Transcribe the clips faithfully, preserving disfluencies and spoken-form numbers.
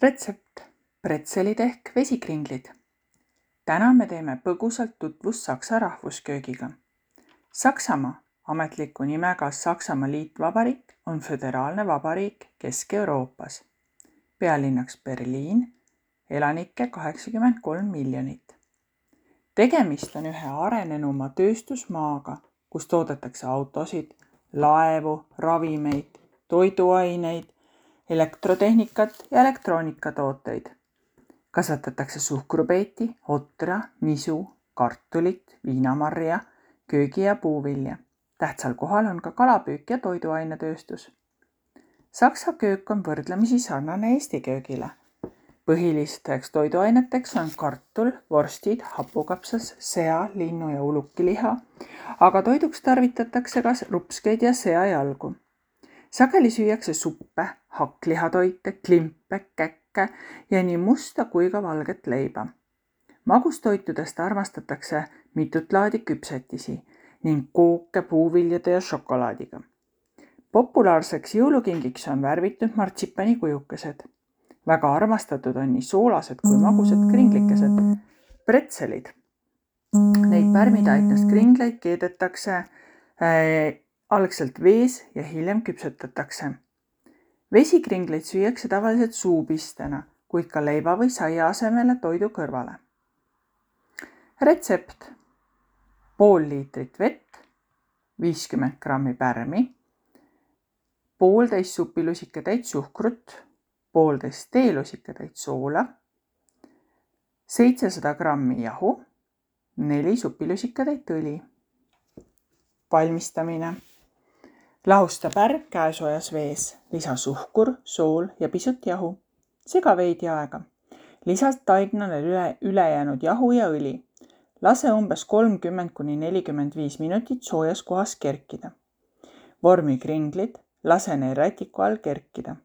Retsept: pretselid ehk vesikringlid. Täna me teeme põgusalt tutvust Saksa rahvusköögiga. Saksamaa, ametliku nimega Saksamaa Liitvabariik, on föderaalne vabariik Kesk-Euroopas. Pealinnaks Berliin, elanikke kaheksakümmend kolm miljonit. Tegemist on ühe arenenuma tööstusmaaga, kus toodetakse autosid, laevu, ravimeid, toiduaineid, elektrotehnikat ja elektroonikatooteid. Kasvatatakse suhkrupeeti, otra, nisu, kartulit, viinamarja, köögi- ja puuvilja. Tähtsal kohal on ka kalapüük ja toiduainetööstus. Saksa köök on võrdlemisi sarnane Eesti köögile. Põhilisteks toiduaineteks on kartul, vorstid, hapukapsas, sea, linnu ja ulukiliha, aga toiduks tarvitatakse ka rupskeid ja seajalgu. Sageli süüakse suppe, hakklihatoite, klimpe, käkke ja nii musta kui ka valget leiba. Magustoitudest armastatakse mitut laadi küpsetisi ning kooke puuviljade ja šokolaadiga. Populaarseks jõulukingiks on värvitud martsipani kujukesed. Väga armastatud on nii soolased kui magusad kringlikesed. Pretselid. Neid pärmitaitnast kringleid keedetakse äh, algselt vees ja hiljem küpsetatakse. Vesikringleid süüakse tavaliselt suupistena, kuid ka leiva või saia asemele toidu kõrvale. Retsept: pool liitrit vett, viiskümmend grammi pärmi, poolteist supilusikatäit suhkrut, poolteist teelusikatäit soola, seitsesada grammi jahu, neli supilusikatäit õli. Valmistamine: lahusta pärm käesoojas vees, lisa suhkur, sool ja pisut jahu. Sega veidi aega. Lisa taignale üle, ülejäänud jahu ja õli. Lase umbes kolmkümmend kuni nelikümmend viis minutit soojas kohas kerkida. Vormi kringlid, lase neil rätiku all kerkida.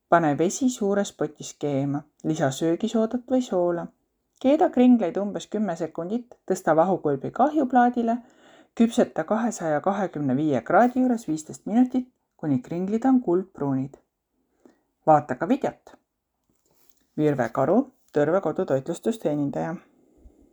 Pane vesi suures potis keema, lisa söögisoodat või soola. Keeda kringleid umbes kümme sekundit, tõsta vahukulbi kahjuplaadile, küpseta kahesaja kahekümne viie kraadi juures viisteist minutit, kuni kringlid on kuldpruunid. Vaata ka videot. Virve Karu, Tõrve kodutoitlustusteenindaja.